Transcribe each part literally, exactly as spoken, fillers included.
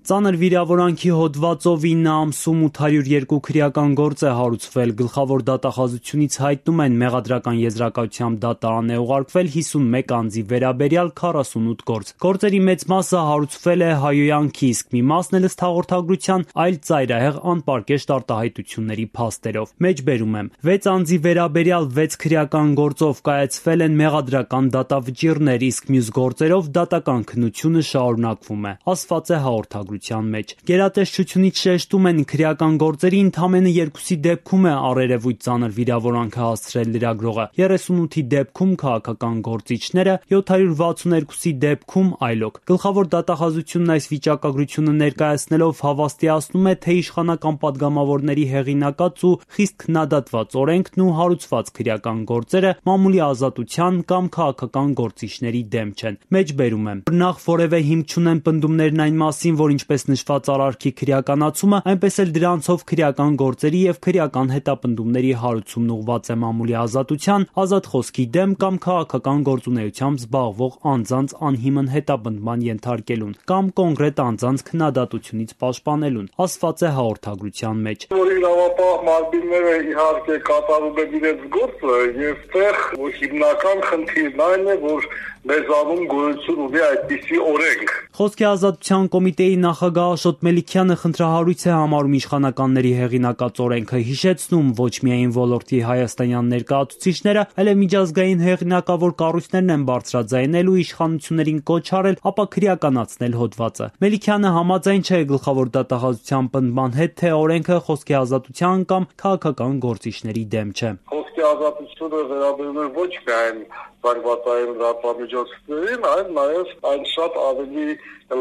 Ծանր վիրավորանքի հոդվածով ինը ամսում ութ հարյուր երկու քրեական գործ է հարուցվել, գլխավոր դատախազությունից հայտնում են մեղադրական եզրակացությամբ դատարան է ուղարկվել հիսունմեկ անձի վերաբերյալ քառասունութ գործ։ Գործերի մեծ մասը հարուցվել է հայհոյանքի, իսկ մի մասն էլ ըստ հաղորդագրության այլ ծայրահեղ անպարկեշտ արտահայտությունների փաստերով։ Մեջբերում եմ. վեց անձի վերաբերյալ վեց քրեական գործով կայացվել են մեղադրական դատավճիռներ, իսկ մյուս գործերով դատական քննությունը շարունակվում է, ասված է հաղորդագրությունում մեջ։ Գերատեսչությունից շեշտում են, քրեական գործերի ընդամենը երկուսի դեպքում է առերևույթ ծանր վիրավորանք հասցրել լրագրողը, երեսունութի դեպքում քաղաքական գործիչները, յոթ հարյուր վաթսունութի դեպքում այլոք։ Գլխավոր դատախազությունն այս վիճակագրությունը ներկայացնելով հավաստիացնում է, թե իշխանական падգամավորների հեղինակած ու խիստ քննադատված օրենքն ու հարուցված քրեական գործերը մամուլի ազատության կամ քաղաքական գործիչների դեմ չեն։ Մեջբերում եմ. նախ որևէ հիմք չունեն պնդումներն այն մասին, որ ինչպես նշված արարքի քրեականացումը, այնպես էլ դրանցով քրեական գործերի և քրեական հետապնդումների հարուցումն ուղղված է մամուլի ազատության, ազատ խոսքի դեմ կամ քաղաքական գործունեությամբ զբաղվող անձանց անհիմն հետապնդման ենթարկելուն կամ կոնկրետ անձանց քննադատությունից պաշտպանելուն, ասված է հաղորդագրության մեջ։ Որ իրավապահ մարմինները իհարկե կատարում են իրենց գործը, եւ տեղ հիմնական խնդիրն այն է, որ մեզանում գոյություն ունի այդպիսի օրենք։ Խոսքի ազատության կոմիտեի նախագահ Աշոտ Մելիքյանը խնդրահարույց է համարում իշխանականների հեղինակած օրենքը, հիշեցնում ոչ միայն ոլորտի հայաստանյան ներկայացուցիչները, այլև միջազգային հեղինակավոր կառույցներն են բարձրաձայնել ու իշխանություններին կոչ արել ապա քրեականացնել հոդվածը։ Մելիքյանը համաձայն չէ գլխավոր դատախազության պնդման հետ, թե օրենքը խոսքի ազատության կամ քաղաքական գործիչների դեմ չէ։ Խոսքի ազատությունը վերաբերում է ոչ միայն զանգվածային լրատվամիջոցներին, այլ նաև այն շատ ավելի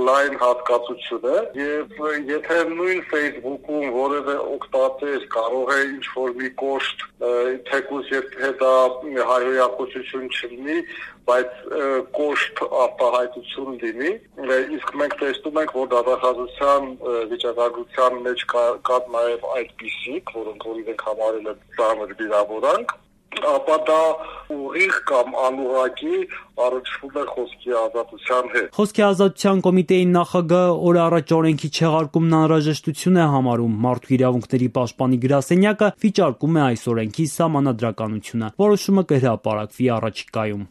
լայն հատկացություն է, եւ եթե նույն Facebook-ում որևէ օգտատեր կարող է ինչ-որ մի կոշտ, թեկուզ եթե դա հայհոյակություն չլինի, բայց կոշտ արտահայտություն լինի, իսկ մենք տեսնում ենք, որ դատախազության վիճակագրության մեջ կա նաև այդպիսիք, որոնք որ իրենք համարել են ծանր վիրավորանք, ապա դա ուղիղ կամ անուղղակի առնչվում է խոսքի ազատության հետ։ Խոսքի ազատության կոմիտեի նախագահը օր առաջ օրենքի չեղարկումն անհրաժեշտություն է համարում, մարդու իրավունքների պաշտպանի գրասենյակը վիճարկում է այս օրենքի սահմանադրականությունը, որոշումը կհրապարակվի առաջիկայում։